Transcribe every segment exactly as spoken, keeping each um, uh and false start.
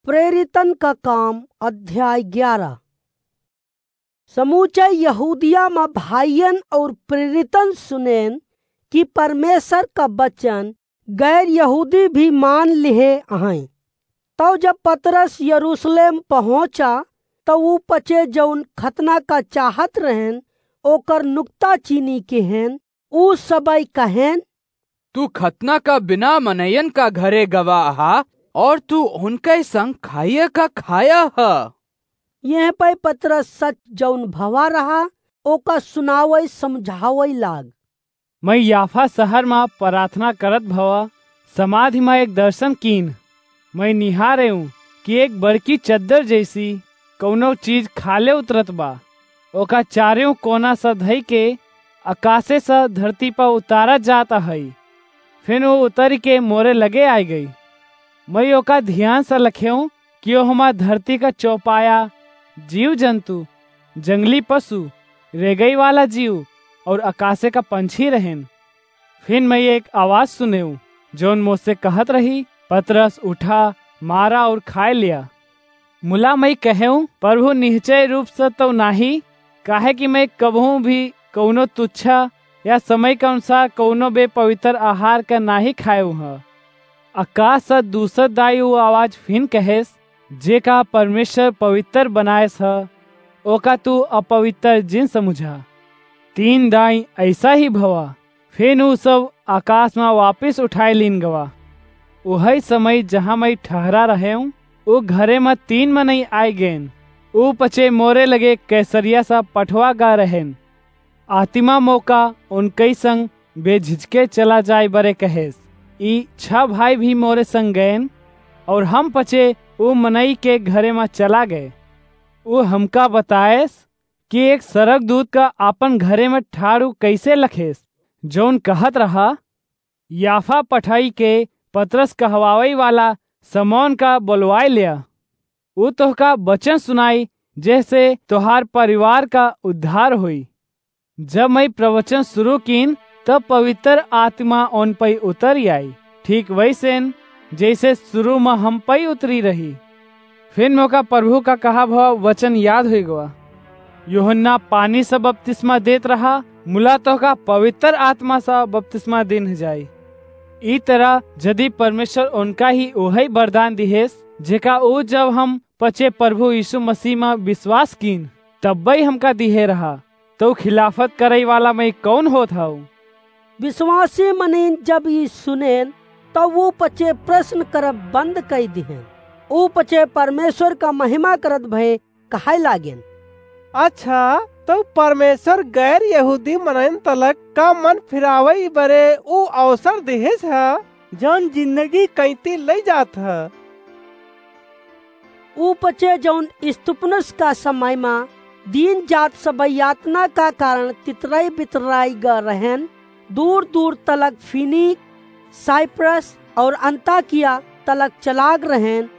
प्रेरितन का काम, अध्याय ग्यारह। समूचे यहूदिया म भाइयन और प्रेरितन सुनेन कि परमेश्वर का वचन गैर यहूदी भी मान लिहे अहैं। तौ जब पतरस यरूशलेम पहुँचा, तौ ऊ पचे जौन खतना का चाहत रहेन, ओकर नुक्ता चीनी किहेन, ऊ सबई कहेन, "तू खतना का बिना मनयन का घरे गवा अहा, और तू उनके संग खाइए का खाया ह?" यह पै पतरस सच जौन भवा रहा, ओका सुनावई समझावई लाग। "मैं याफा शहर मा प्रार्थना करत भवा, समाधि मा एक दर्शन कीन। मैं निहारेऊँ कि एक बड़की चद्दर जैसी कौनो चीज खाले उतरत बा। ओका चारेऊ कोना स धई के अकासे स धरती पर उतारा जात अहई। फिन वो उतरि के मोरे लगे आइ गई। मैं ओका ध्यान स लखेऊँ कि ओहमा धरती का चौपाया, जीव जंतु, जंगली पशु, रेगई वाला जीव और अकासे का पंछी रहेन।" फिन मैं एक आवाज सुनेऊँ, जौन मोसे कहत रही, "पतरस, उठा, मारा और खाए लिया।" मुला मैं कहेऊँ, "प्रभु, निश्चय रूप से तो नाही, काहे कि मैं कबहूँ भी कौनो तुच्छा या समय के अनुसार कौनो बेपवित्र आहार का नाही खाएऊँ ह।" अकास से दूसर दाई वो आवाज फिन कहेस, "जेका परमेश्वर पवित्र बनाएस ह, ओका तू अपवित्र जिन समुझा।" तीन दाई ऐसा ही भवा। फिन ऊ सब आकाश मा वापिस उठाए लीन गवा। उहई समय जहाँ मैं ठहरा रहेऊँ, ऊ घरे मा तीन मनई आइ गएन। ऊ पचे मोरे लगे कैसरिया सा पठवा गा रहेन। आतिमा मोका उनकई संग बेझिझके चला जाए बरे कहेस। ई छह भाई भी मोरे संग गएन, और हम पचे ऊ मनई के घरे मा चला गए। ऊ हमका बताएस कि एक सरगदूत का आपन घरे मा ठाड़ू कैसे लखेस, जौन कहत रहा, "याफा पठाई के पतरस कहवावई वाला समौन का बोलवाए ल्या। ऊ तोहका वचन सुनाई, जेहसे तोहार परिवार का उद्धार होई।" जब मैं प्रवचन शुरू कीन, तब पवित्र आत्मा उन पई उतरी आई, ठीक वैसेन जैसे शुरू मा हम पई उतरी रही। फिन मोका प्रभु का कहा भवा वचन याद होइ गवा, "यूहन्ना पानी से बपतिस्मा देत रहा, मुला तोहका पवित्र आत्मा से बपतिस्मा दिन जाई।" ई तरह यदि परमेश्वर उनका ही ओहई वरदान दिहेस, जेका ऊ जब हम पचे प्रभु यीशु मसीह मा विश्वास कीन, तब्बई हमका दिहे रहा, तो खिलाफत करई वाला मैं कौन होत हऊ? विश्वासी मनीन जब ई सुनेन, तब ऊ पचे प्रश्न करब बंद कई दिहेन। ऊ पचे परमेश्वर का महिमा करत भए कहाए लागेन, "अच्छा, तो परमेश्वर गैर यहूदी मनइन तलक का मन फिरावई बरे ऊ अवसर दिहिस ह, जौन जिंदगी कैंती लई जात ह।" ऊ पचे जौन स्तिफनुस का समय मा दीन जात सब यातना का कारण तितराई बितराई ग रहेन, दूर दूर तलक फीनीक, साइप्रस और अंताकिया तलक चलाग रहेन।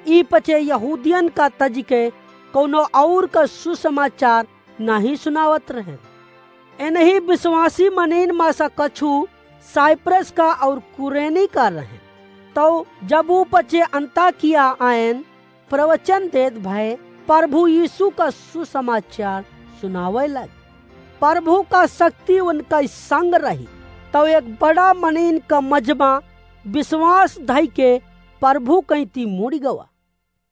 ई पचे यहूदियन का तजिके कौनो और का सुसमाचार नाहीं सुनावत रहेन। एनही विश्वासी मनीन मा सा कछु साइप्रस का और कुरेनी का रहेन। तौ जब ऊ पचे अंताकिया आएन, प्रवचन देत भए प्रभु यीशु का सुसमाचार सुनावै लागे। प्रभु का शक्ति उनका संग रही। तौ एक बड़ा मनीन का मजमा विश्वास धई के प्रभु कैंती मुड़ी गवा।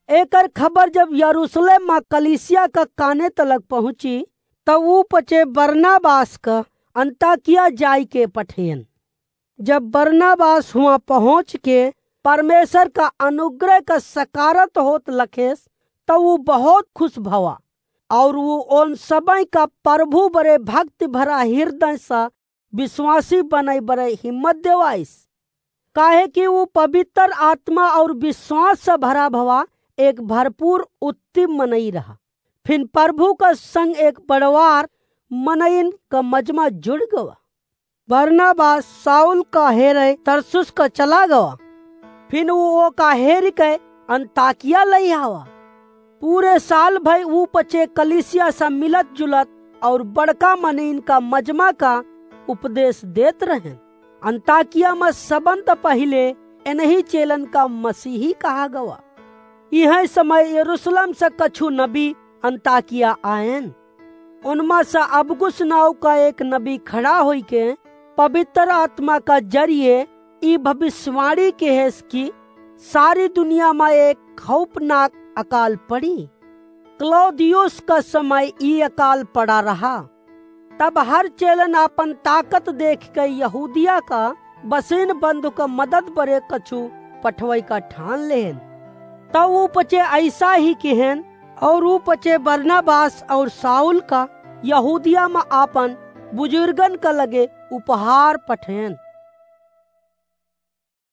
एकर खबर जब यरूशलेम मा कलीसिया का काने तलक पहुँची, तब ऊ पचे बरनबास का अंताकिया जाई के पठेन। जब बरनबास हुआं पहुँच के परमेश्वर का अनुग्रह का सकारत होत लखेस, तब ऊ बहुत खुश भवा और ऊ उन सबई का प्रभु बरे भक्ति भरा हृदय सा विश्वासी बनई बरे हिम्मत देवाइस। काहे कि ऊ पवित्र आत्मा और विश्वास से भरा भवा एक भरपूर उत्तम मनई रहा। फिन प्रभु का संग एक बड़वार मनइन का मजमा जुड़ गवा। बरनबास शाऊल का हेरे तरसुस का चला गवा। फिन ऊ ओका हेरि के अंताकिया लई आवा। पूरे साल भई ऊ पचे कलीसिया सा मिलत जुलत और बड़का मनइन का मजमा का उपदेश देत रहेन। अंताकिया मा सबन त पहिले एनही चेलन का मसीही कहा गवा। इहै समय यरूशलेम से कछु नबी अंताकिया आएन। उनमा से अबगुस नाव का एक नबी खड़ा होइके पवित्र आत्मा का जरिए ई भविष्यवाणी केहेस कि सारी दुनिया मा एक खौफनाक अकाल पड़ी। क्लौदियुस का समय ई अकाल पड़ा रहा। तब हर चेलन आपन ताकत देखिके यहूदिया का बसीन बंधु का मदद बरे कछु पठवै का ठान लेहेन। तब ऊ पचे अइसा ही किहेन, और ऊ पचे बरनबास और शाऊल का यहूदिया मा आपन बुजुर्गन का लगे उपहार पठेन।